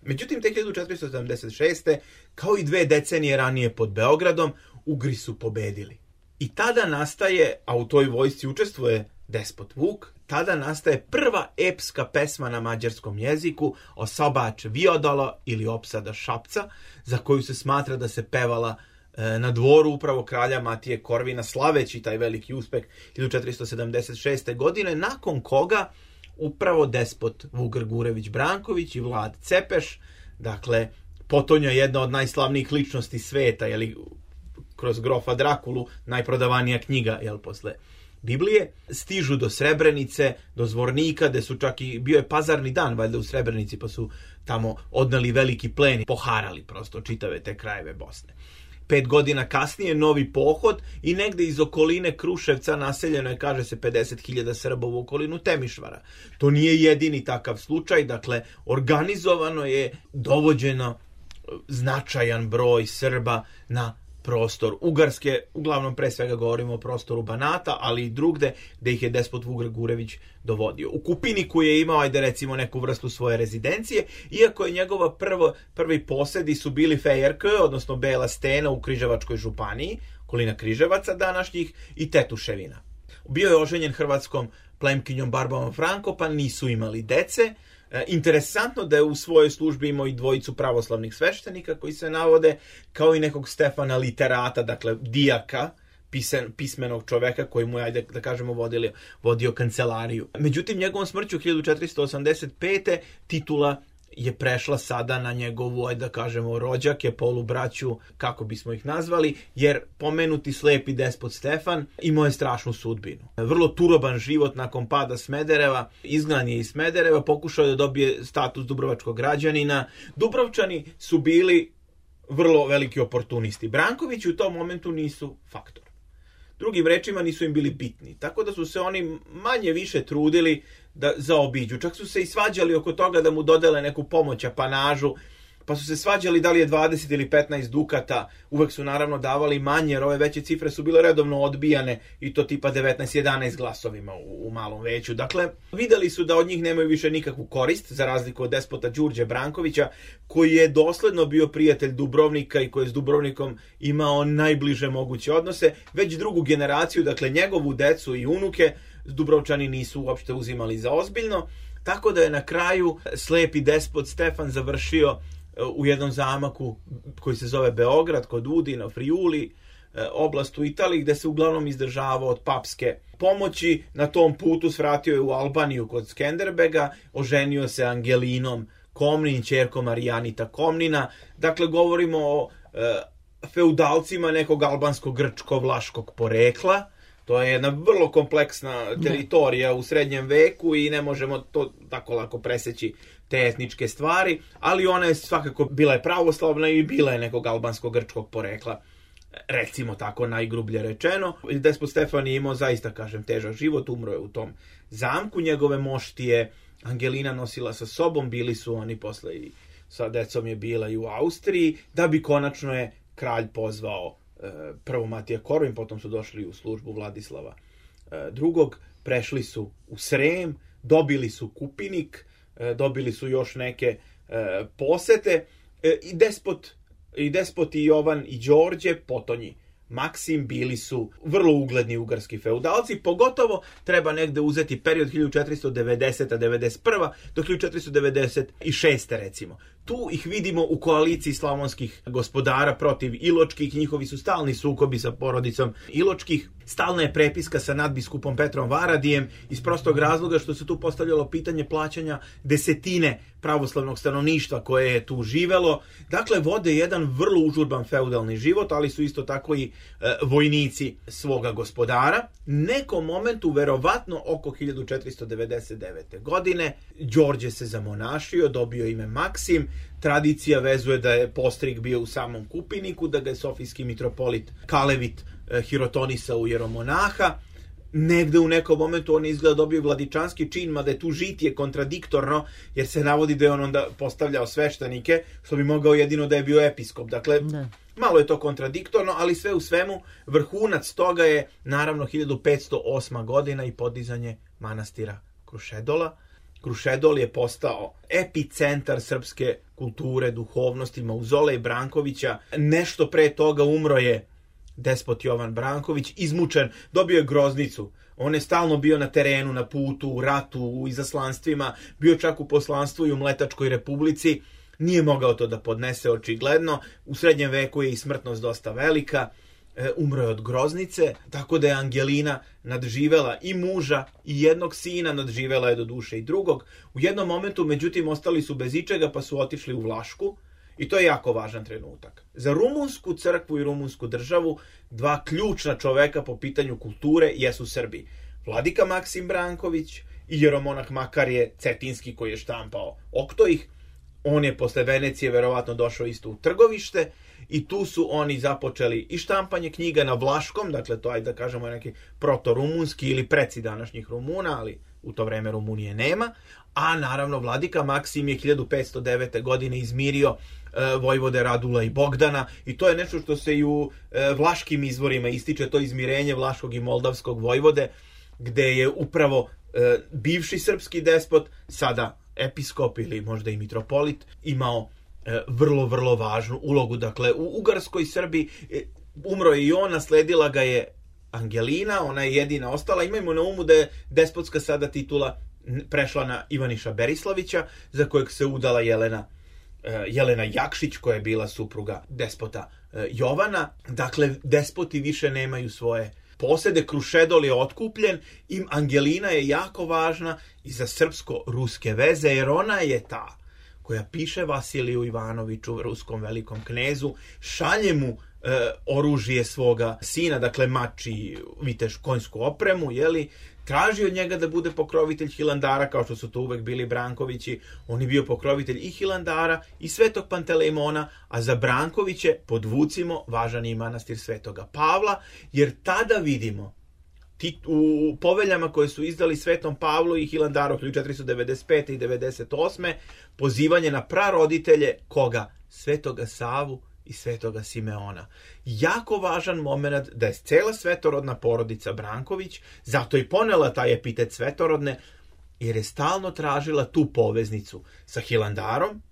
Međutim, te hiljadu četiristo sedamdeset šeste. kao i dve decenije ranije pod Beogradom, Ugri su pobedili. I tada nastaje, a u toj vojsci učestvuje despot Vuk, tada nastaje prva epska pesma na mađarskom jeziku, Osobač Viodolo ili Opsada Šapca, za koju se smatra da se pevala e, na dvoru upravo kralja Matije Korvina, slaveći taj veliki uspeh hiljadu četiristo sedamdeset šeste. godine, nakon koga upravo despot Vuk Grgurević Branković i Vlad Cepeš, dakle, potonja jedna od najslavnijih ličnosti sveta, jeli, kroz grofa Drakulu, najprodavanija knjiga, jel, posle Biblije, stižu do Srebrenice, do Zvornika, gde su čak i, bio je pazarni dan, valjda u Srebrenici, pa su tamo odneli veliki plen i poharali prosto čitave te krajeve Bosne. Pet godina kasnije novi pohod i negde iz okoline Kruševca naseljeno je, kaže se, pedeset hiljada Srba u okolinu Temišvara. To nije jedini takav slučaj, dakle, organizovano je dovođeno značajan broj Srba na prostor Ugarske, uglavnom pre svega govorimo o prostoru Banata, ali i drugde gde ih je despot Vuk Grgurević dovodio. U Kupiniku je imao, ajde recimo, neku vrstu svoje rezidencije, iako je njegova prvo, prvi posedi su bili Fejerk, odnosno Bela Stena u Križevačkoj županiji, okolina Križevaca današnjih, i Tetuševina. Bio je oženjen hrvatskom plemkinjom Barbarom Franko, pa nisu imali dece. E, interesantno da je u svojoj službi imao i dvojicu pravoslavnih sveštenika koji se navode, kao i nekog Stefana literata, dakle dijaka, pisen, pismenog čoveka koji mu je, ajde da kažemo, vodio, vodio kancelariju. Međutim, njegovom smrću hiljadu četiristo osamdeset pete titula je prešla sada na njegovu, ajde da kažemo, rođake, polubraću, kako bismo ih nazvali, jer pomenuti slepi despot Stefan imao je strašnu sudbinu. Vrlo turoban život nakon pada Smedereva, izgnan je iz Smedereva, pokušao je da dobije status dubrovačkog građanina. Dubrovčani su bili vrlo veliki oportunisti. Brankovići u tom momentu nisu faktor. Drugim rečima, nisu im bili bitni. Tako da su se oni manje više trudili da zaobiđu. Čak su se i svađali oko toga da mu dodele neku pomoć, apanažu, pa su se svađali da li je dvadeset ili petnaest dukata. Uvek su naravno davali manje, jer ove veće cifre su bile redovno odbijane, i to tipa devetnaest jedanaest glasovima u, u malom veću. Dakle, videli su da od njih nemaju više nikakvu korist, za razliku od despota Đurđe Brankovića, koji je dosledno bio prijatelj Dubrovnika i koji je s Dubrovnikom imao najbliže moguće odnose. Već drugu generaciju, dakle njegovu decu i unuke, Dubrovčani nisu uopšte uzimali za ozbiljno, tako da je na kraju slepi despot Stefan završio u jednom zamaku koji se zove Beograd, kod Udina, Friuli, oblast u Italiji, gde se uglavnom izdržavao od papske pomoći. Na tom putu svratio je u Albaniju kod Skenderbega, oženio se Angelinom Komnin, ćerkom Marijanita Komnina. Dakle, govorimo o e, feudalcima nekog albansko-grčko-vlaškog porekla. To je jedna vrlo kompleksna teritorija u srednjem veku i ne možemo to tako lako preseći, te etničke stvari, ali ona je svakako bila je pravoslavna i bila je nekog albansko-grčkog porekla, recimo tako najgrublje rečeno. Despot Stefan je imao zaista, kažem, težak život, umro je u tom zamku, njegove moštije Angelina nosila sa sobom, bili su oni posle i sa decom je bila i u Austriji, da bi konačno je kralj pozvao prvo Matija Korvin, potom su došli u službu Vladislava drugog, prešli su u Srem, dobili su Kupinik, dobili su još neke posete, i despot i despoti Jovan i Đorđe, potonji Maksim, bili su vrlo ugledni ugarski feudalci, pogotovo treba negde uzeti period hiljadu četiristo devedeseta do devedeset prve do hiljadu četiristo devedeset šeste recimo. Tu ih vidimo u koaliciji slavonskih gospodara protiv Iločkih, njihovi su stalni sukobi sa porodicom Iločkih, stalna je prepiska sa nadbiskupom Petrom Varadijem, iz prostog razloga što se tu postavljalo pitanje plaćanja desetine pravoslavnog stanovništva koje je tu živelo. Dakle, vode jedan vrlo užurban feudalni život, ali su isto tako i e, vojnici svoga gospodara. Nekom momentu, verovatno oko hiljadu četiristo devedeset devete godine, Đorđe se zamonašio, dobio ime Maksim. Tradicija vezuje da je postrig bio u samom Kupiniku, da ga je sofijski mitropolit Kalevit e, hirotonisao u jeromonaha. Negde u nekom momentu on izgleda dobio vladičanski čin, mada je tu žitije kontradiktorno, jer se navodi da je on onda postavljao sveštenike, što bi mogao jedino da je bio episkop. Dakle, ne. Malo je to kontradiktorno, ali sve u svemu vrhunac toga je naravno hiljadu petsto osma godina i podizanje manastira Krušedola. Krušedol je postao epicentar srpske kulture, duhovnosti, mauzolej Brankovića. Nešto pre toga umro je despot Jovan Branković, izmučen, dobio je groznicu. On je stalno bio na terenu, na putu, u ratu, u izaslanstvima, bio čak u poslanstvu i u Mletačkoj republici. Nije mogao to da podnese očigledno. U srednjem veku je i smrtnost dosta velika. E, umro je od groznice, tako da je Angelina nadživela i muža i jednog sina, nadživela je do duše i drugog. U jednom momentu, međutim, ostali su bez ičega, pa su otišli u Vlašku. I to je jako važan trenutak. Za rumunsku crkvu i rumunsku državu dva ključna čoveka po pitanju kulture jesu Srbi. Vladika Maksim Branković i jeromonah Makarije Cetinski, koji je štampao Oktoih. On je posle Venecije verovatno došao isto u Trgovište i tu su oni započeli i štampanje knjiga na vlaškom, dakle to ajde da kažemo neki proto-rumunski ili preci današnjih Rumuna, ali u to vreme Rumunije nema. A naravno vladika Maksim je hiljadu petsto devete godine izmirio e, vojvode Radula i Bogdana, i to je nešto što se i u e, vlaškim izvorima ističe, to izmirenje vlaškog i moldavskog vojvode, gde je upravo e, bivši srpski despot, sada episkop ili možda i mitropolit, imao e, vrlo, vrlo važnu ulogu. Dakle, u Ugarskoj Srbiji e, umro je i on, nasledila ga je Angelina, ona je jedina ostala. Imajmo na umu da je despotska sada titula prešla na Ivaniša Berislavića, za kojeg se udala Jelena, e, Jelena Jakšić, koja je bila supruga despota e, Jovana. Dakle, despoti više nemaju svoje posede, Krušedol je otkupljen i Angelina je jako važna i za srpsko-ruske veze, jer ona je ta koja piše Vasiliju Ivanoviću, ruskom velikom knezu, šalje mu e, oružje svoga sina, dakle mač i viteš konjsku opremu, jeli, traži od njega da bude pokrovitelj Hilandara, kao što su to uvek bili Brankovići. On je bio pokrovitelj i Hilandara i Svetog Pantelejmona, a za Brankoviće, podvucimo, važan je i manastir Svetoga Pavla, jer tada vidimo ti, u poveljama koje su izdali Svetom Pavlu i Hilandaru hiljadu četiristo devedeset pete i devedeset osme pozivanje na praroditelje koga? Svetoga Savu i Svetoga Simeona. Jako važan moment da je cela svetorodna porodica Branković, zato i ponela taj epitet svetorodne, jer je stalno tražila tu poveznicu sa Hilandarom,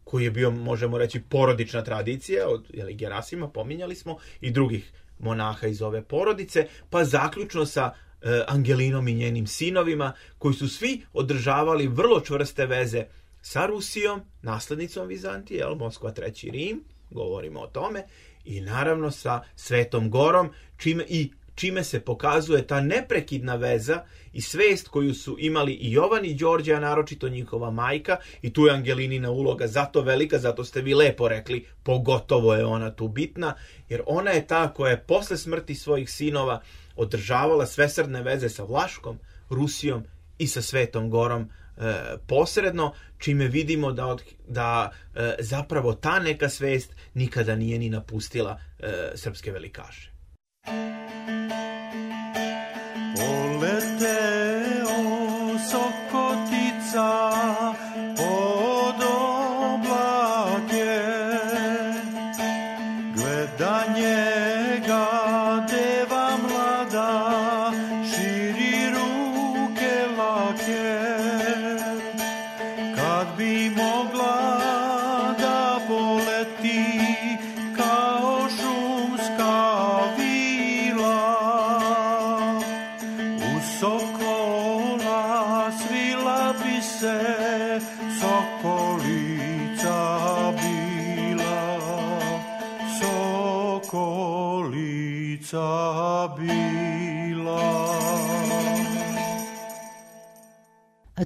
koji je bio, možemo reći, porodična tradicija od jeli, Gerasima, pominjali smo, i drugih monaha iz ove porodice, pa zaključno sa e, Angelinom i njenim sinovima, koji su svi održavali vrlo čvrste veze sa Rusijom, naslednicom Vizantije, jel, Moskva, treći Rim, govorimo o tome, i naravno sa Svetom Gorom, čime, i čime se pokazuje ta neprekidna veza i svest koju su imali i Jovan i Đorđe, a naročito njihova majka, i tu je Angelinina uloga zato velika, zato ste vi lepo rekli, pogotovo je ona tu bitna, jer ona je ta koja je posle smrti svojih sinova održavala svesrdne veze sa Vlaškom, Rusijom i sa Svetom Gorom e, posredno, čime vidimo da, od, da e, zapravo ta neka svest nikada nije ni napustila e, srpske velikaše. Poleteo sokotica pod oblake, gleda njega deva mlada, širi ruke lake, kad bi mogla da poleti kao šumska vila, sokola svila bi se sokolica bila, sokolica bila.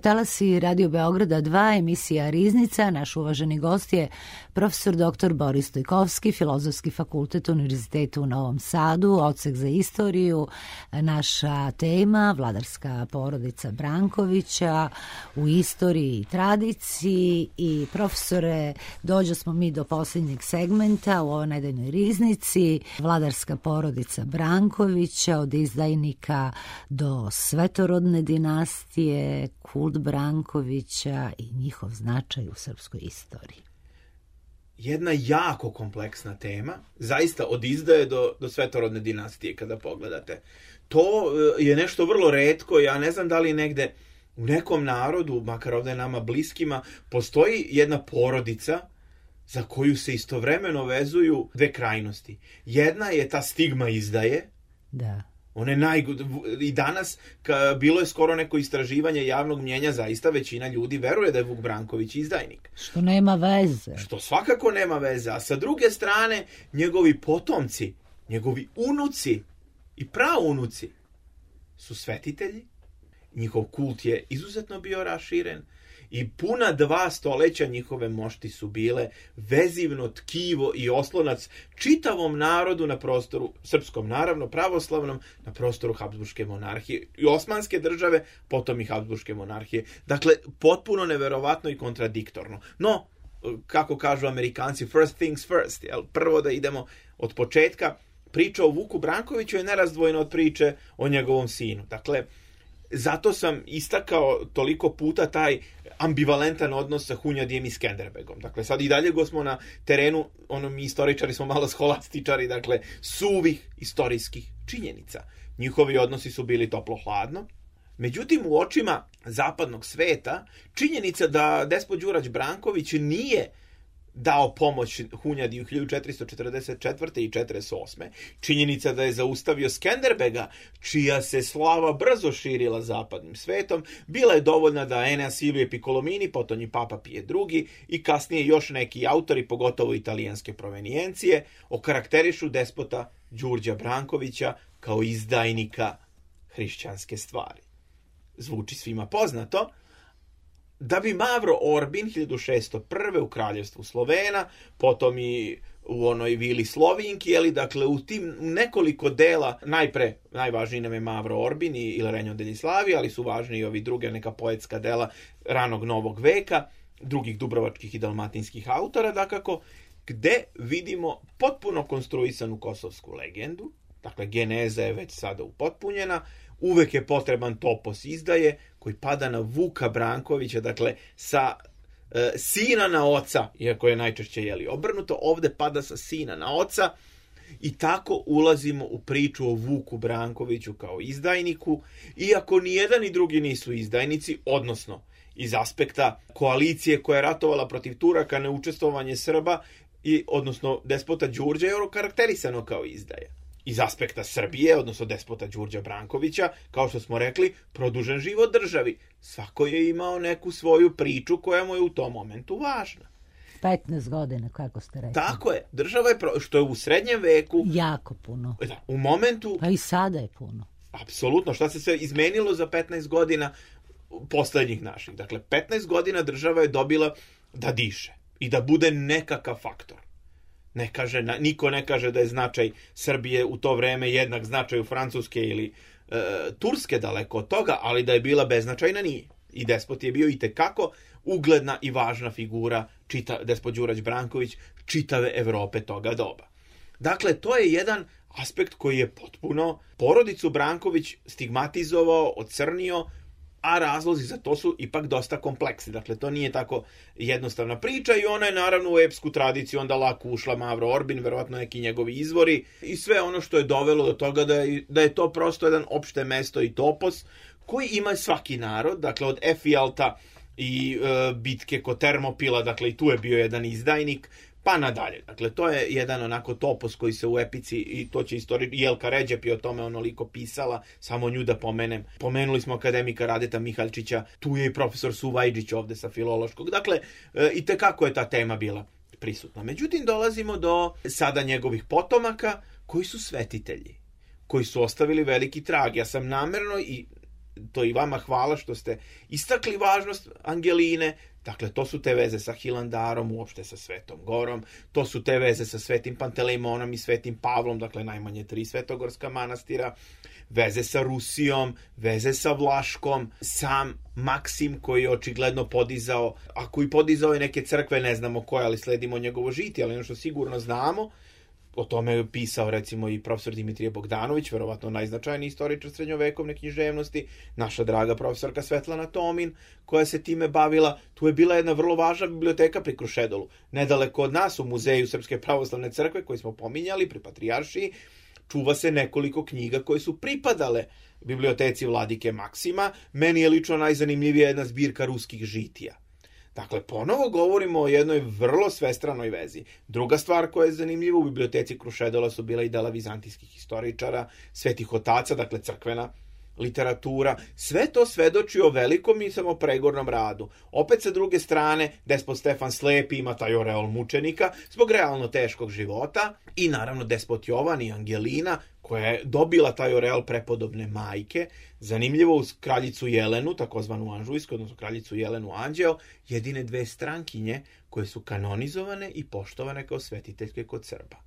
Talasi Radio Beograda dva, emisija Riznica. Naš uvaženi gost je profesor doktor Boris Stojkovski, Filozofski fakultet Univerziteta u Novom Sadu, odsek za istoriju. Naša tema, vladarska porodica Brankovića u istoriji i tradiciji. I profesore, dođo smo mi do posljednjeg segmenta u ovoj nedeljnoj Riznici. Vladarska porodica Brankovića, od izdajnika do svetorodne dinastije, kult Brankovića i njihov značaj u srpskoj istoriji. Jedna jako kompleksna tema, zaista od izdaje do, do svetorodne dinastije kada pogledate. To je nešto vrlo retko, ja ne znam da li negde u nekom narodu, makar ovdje nama bliskima, postoji jedna porodica za koju se istovremeno vezuju dve krajnosti. Jedna je ta stigma izdaje, da. One najgod... I danas, ka, bilo je skoro neko istraživanje javnog mnjenja, zaista većina ljudi veruje da je Vuk Branković izdajnik. Što nema veze. Što svakako nema veze. A sa druge strane, njegovi potomci, njegovi unuci i praunuci su svetitelji. Njihov kult je izuzetno bio raširen i puna dva stoleća njihove mošti su bile vezivno tkivo i oslonac čitavom narodu na prostoru, srpskom naravno, pravoslavnom, na prostoru Habsburške monarhije i Osmanske države, potom i Habsburške monarhije. Dakle, potpuno neverovatno i kontradiktorno. No, kako kažu Amerikanci, first things first, jel? Prvo da idemo od početka. Priča o Vuku Brankoviću je nerazdvojna od priče o njegovom sinu. Dakle, zato sam istakao toliko puta taj ambivalentan odnos sa Hunjadijem i Skenderbegom. Dakle, sad i dalje go smo na terenu, ono mi istoričari smo malo scholastičari, dakle, suvih istorijskih činjenica. Njihovi odnosi su bili toplo-hladno. Međutim, u očima zapadnog sveta, činjenica da despot Đurađ Branković nije dao pomoć Hunjadiju hiljadu četiristo četrdeset četvrte i četrdeset osme. Činjenica da je zaustavio Skenderbega, čija se slava brzo širila zapadnim svetom, bila je dovoljna da Enea Silvije Piccolomini, potonji Papa Pije drugi i kasnije još neki autori, pogotovo italijanske provenijencije, okarakterišu despota Đurđa Brankovića kao izdajnika hrišćanske stvari. Zvuči svima poznato, da bi Mavro Orbin hiljadu šessto prve u kraljevstvu Slovena, potom i u onoj vili Slovinki, jeli, dakle u tim nekoliko dela, najpre, najvažniji nam je Mavro Orbin i Il Regno degli Slavi, ali su važni i ovi druge neka poetska dela ranog novog veka, drugih dubrovačkih i dalmatinskih autora, dakako, gde vidimo potpuno konstruisanu kosovsku legendu, dakle geneza je već sada upotpunjena, uvek je potreban topos izdaje koji pada na Vuka Brankovića, dakle sa e, sina na oca, iako je najčešće jeli obrnuto, ovde pada sa sina na oca i tako ulazimo u priču o Vuku Brankoviću kao izdajniku, iako ni jedan ni drugi nisu izdajnici, odnosno iz aspekta koalicije koja je ratovala protiv Turaka, neučestvovanje Srba, i, odnosno despota Đurđa je karakterisano kao izdaja. Iz aspekta Srbije, odnosno despota Đurđa Brankovića, kao što smo rekli, produžen život državi. Svako je imao neku svoju priču koja mu je u tom momentu važna. petnaest godina, kako ste rekli. Tako je. Država je, pro... što je u srednjem veku... Jako puno. Da, u momentu... Pa i sada je puno. Apsolutno. Šta se sve izmenilo za petnaest godina poslednjih naših? Dakle, petnaest godina država je dobila da diše i da bude nekakav faktor. Ne kaže, niko ne kaže da je značaj Srbije u to vreme jednak značaju Francuske ili e, Turske, daleko od toga, ali da je bila beznačajna nije. I despot je bio itekako ugledna i važna figura, čita, despot Đurađ Branković, čitave Evrope toga doba. Dakle, to je jedan aspekt koji je potpuno porodicu Branković stigmatizovao, ocrnio, a razlozi za to su ipak dosta kompleksni. Dakle, to nije tako jednostavna priča i ona je naravno u epsku tradiciju onda lako ušla Mavro Orbin, verovatno neki njegovi izvori i sve ono što je dovelo do toga da je, da je to prosto jedan opšte mesto i topos koji ima svaki narod, dakle od Efijalta i e, bitke kod Termopila, dakle i tu je bio jedan izdajnik, pa nadalje. Dakle, to je jedan onako topos koji se u epici, i to će istorič, Jelka Ređep je o tome onoliko pisala, samo nju da pomenem. Pomenuli smo akademika Radeta Mihaljčića, tu je i profesor Suvajđić ovde sa filološkog. Dakle, e, i tekako je ta tema bila prisutna. Međutim, dolazimo do sada njegovih potomaka koji su svetitelji, koji su ostavili veliki trag. Ja sam namerno, i to i vama hvala što ste istakli važnost Angeline. Dakle, to su te veze sa Hilandarom, uopšte sa Svetom Gorom, to su te veze sa Svetim Pantelejmonom i Svetim Pavlom, dakle najmanje tri svetogorska manastira, veze sa Rusijom, veze sa Vlaškom, sam Maksim koji je očigledno podizao, a koji podizao je neke crkve, ne znamo koje, ali sledimo njegovo žitije, ali ono što sigurno znamo, o tome je pisao recimo i profesor Dimitrije Bogdanović, verovatno najznačajniji istoričar srednjovekovne književnosti, naša draga profesorka Svetlana Tomin, koja se time bavila. Tu je bila jedna vrlo važna biblioteka pri Krušedolu. Nedaleko od nas, u Muzeju Srpske pravoslavne crkve, koji smo pominjali, pri Patrijaršiji, čuva se nekoliko knjiga koje su pripadale biblioteci Vladike Maksima. Meni je lično najzanimljivija jedna zbirka ruskih žitija. Dakle, ponovo govorimo o jednoj vrlo svestranoj vezi. Druga stvar koja je zanimljiva, u biblioteci Krušedola su bila i dela vizantijskih historičara, svetih otaca, dakle crkvena literatura. Sve to svedoči o velikom i samo pregornom radu. Opet sa druge strane, despot Stefan Slepi ima taj oreol mučenika zbog realno teškog života i naravno despot Jovan i Angelina, koja je dobila taj oreol prepodobne majke. Zanimljivo, uz kraljicu Jelenu, takozvanu Anžujsku, odnosno kraljicu Jelenu Anđeo, jedine dve strankinje koje su kanonizovane i poštovane kao svetiteljke kod Srba.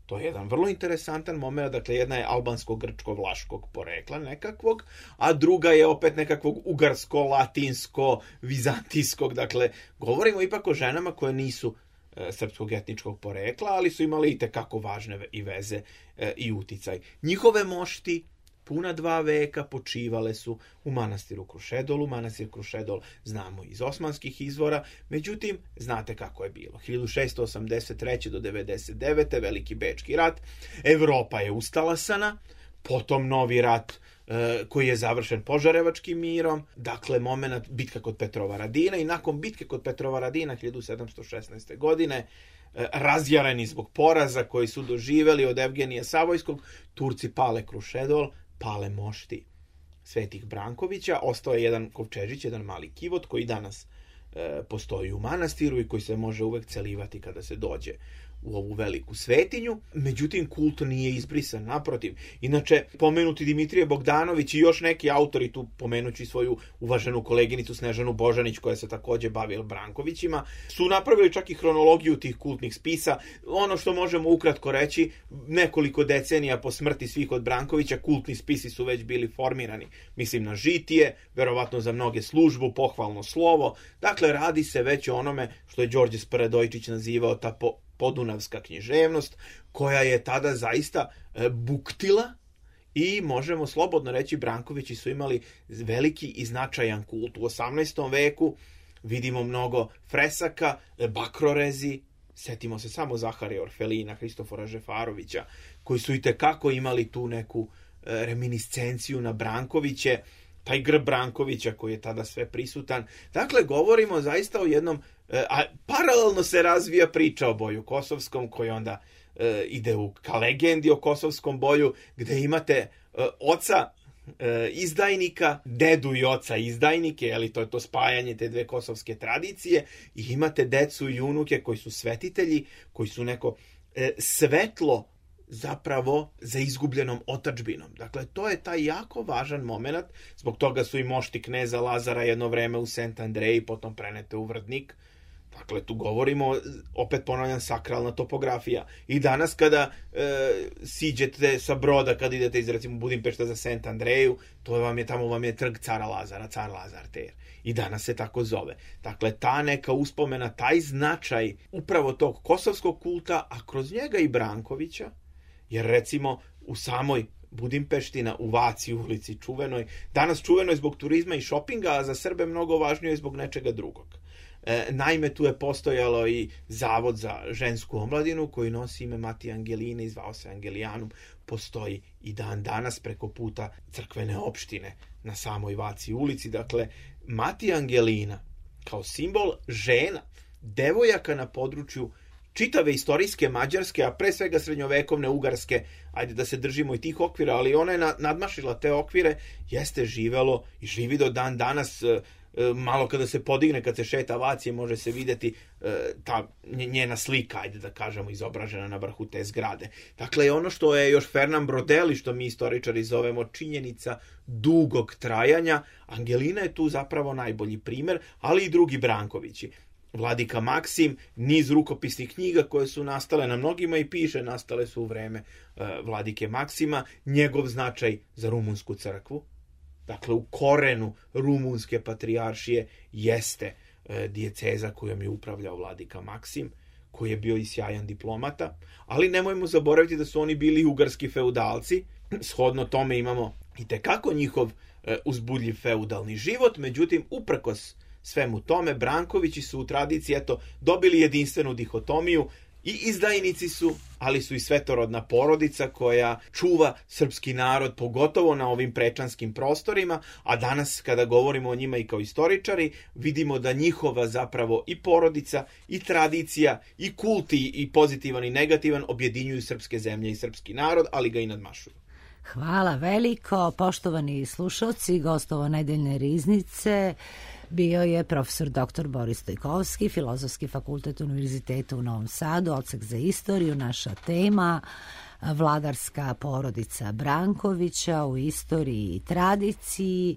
To je jedan vrlo interesantan moment, dakle jedna je albansko-grčko-vlaškog porekla nekakvog, a druga je opet nekakvog ugarsko-latinsko-vizantijskog, dakle govorimo ipak o ženama koje nisu e, srpskog etničkog porekla, ali su imali i tekako važne i veze e, i uticaj. Njihove mošti puna dva veka počivale su u manastiru Krušedolu. Manastir Krušedol znamo iz osmanskih izvora, međutim, znate kako je bilo. hiljadu šessto osamdeset treće do devedeset devete. Veliki Bečki rat, Evropa je ustalasana, potom novi rat e, koji je završen Požarevačkim mirom, dakle moment bitka kod Petrovaradina, i nakon bitke kod Petrovaradina hiljadu sedamsto šesnaeste. godine, e, razjareni zbog poraza koji su doživeli od Evgenija Savojskog, Turci pale Krušedol, pale mošti Svetih Brankovića, ostao je jedan kovčežić, jedan mali kivot koji danas e, postoji u manastiru i koji se može uvek celivati kada se dođe u ovu veliku svetinju. Međutim, kult nije izbrisan, naprotiv. Inače, pomenuti Dimitrije Bogdanović i još neki autori, tu pomenući svoju uvaženu koleginicu Snežanu Božanić, koja se takođe bavila Brankovićima, su napravili čak i hronologiju tih kultnih spisa. Ono što možemo ukratko reći, nekoliko decenija po smrti svih od Brankovića, kultni spisi su već bili formirani. Mislim na Žitije, verovatno za mnoge službu, pohvalno slovo. Dakle, radi se već o onome što je Đorđe Sparadojčić nazivao ta po podunavska književnost, koja je tada zaista e, buktila, i možemo slobodno reći Brankovići su imali veliki i značajan kult. U osamnaestom veku vidimo mnogo fresaka, e, bakrorezi, setimo se samo Zaharija Orfelina, Hristofora Žefarovića, koji su itekako imali tu neku e, reminiscenciju na Brankoviće, taj grb Brankovića koji je tada sve prisutan. Dakle, govorimo zaista o jednom, a paralelno se razvija priča o boju kosovskom, koji onda e, ide u ka legendi o kosovskom boju, gde imate e, oca e, izdajnika, dedu i oca izdajnike, ali to je to spajanje te dve kosovske tradicije, i imate decu i unuke koji su svetitelji, koji su neko e, svetlo zapravo za izgubljenom otadžbinom. Dakle, to je taj jako važan moment, zbog toga su i mošti kneza Lazara jedno vreme u Sent Andreji, potom prenete u Vrdnik. Dakle, tu govorimo, opet ponavljam, sakralna topografija. I danas kada e, siđete sa broda, kada idete iz, recimo, Budimpešta za Sent Andreju, to vam je, tamo vam je trg cara Lazara, car Lazar Ter. I danas se tako zove. Dakle, ta neka uspomena, taj značaj upravo tog kosovskog kulta, a kroz njega i Brankovića, jer recimo u samoj Budimpešti na Uvaci ulici čuvenoj, danas čuvenoj zbog turizma i šopinga, a za Srbe mnogo važnije zbog nečega drugog. E, naime, tu je postojalo i zavod za žensku omladinu koji nosi ime Mati Angeline i zvao se Angelijanum. Postoji i dan danas preko puta crkvene opštine na samoj Vaci ulici. Dakle, Mati Angelina kao simbol žena, devojaka na području čitave istorijske Mađarske, a pre svega srednjovekovne Ugarske, ajde da se držimo i tih okvira, ali ona je nadmašila te okvire, jeste živelo i živi do dan danas. Malo kada se podigne, kad se šeta Vacije, može se vidjeti ta njena slika, ajde da kažemo, izobražena na vrhu te zgrade. Dakle, ono što je još Fernand Brodeli, što mi istoričari zovemo činjenica dugog trajanja, Angelina je tu zapravo najbolji primer, ali i drugi Brankovići. Vladika Maksim, niz rukopisnih knjiga koje su nastale, na mnogima i piše, nastale su u vreme e, Vladike Maksima, njegov značaj za rumunsku crkvu. Dakle, u korenu rumunske patrijaršije jeste e, dijeceza kojom je upravljao Vladika Maksim, koji je bio i sjajan diplomata, ali nemojmo zaboraviti da su oni bili ugarski feudalci. Shodno tome imamo i tekako njihov e, uzbudljiv feudalni život, međutim, uprkos svemu tome, Brankovići su u tradiciji, eto, dobili jedinstvenu dihotomiju, i izdajnici su, ali su i svetorodna porodica koja čuva srpski narod, pogotovo na ovim prečanskim prostorima, a danas kada govorimo o njima i kao istoričari, vidimo da njihova zapravo i porodica, i tradicija, i kulti, i pozitivan i negativan objedinjuju srpske zemlje i srpski narod, ali ga i nadmašuju. Hvala veliko, poštovani slušalci, gostovo nedeljne riznice bio je profesor doktor Boris Stojkovski, Filozofski fakultet Univerziteta u Novom Sadu, odsek za istoriju. Naša tema vladarska porodica Brankovića u istoriji i tradiciji.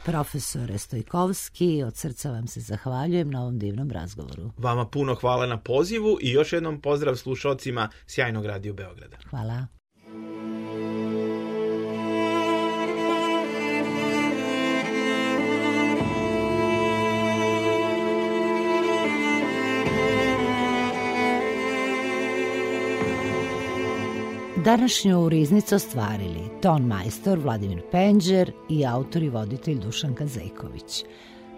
Profesore Stojkovski, od srca vam se zahvaljujem na ovom divnom razgovoru. Vama puno hvala na pozivu i još jednom pozdrav slušalcima sjajnog Radio Beograda. Hvala. Današnju riznicu ostvarili ton majstor Vladimir Penđer i autor i voditelj Dušan Kazejković.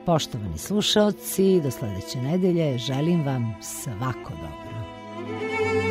Poštovani slušaoci, do sledeće nedelje želim vam svako dobro.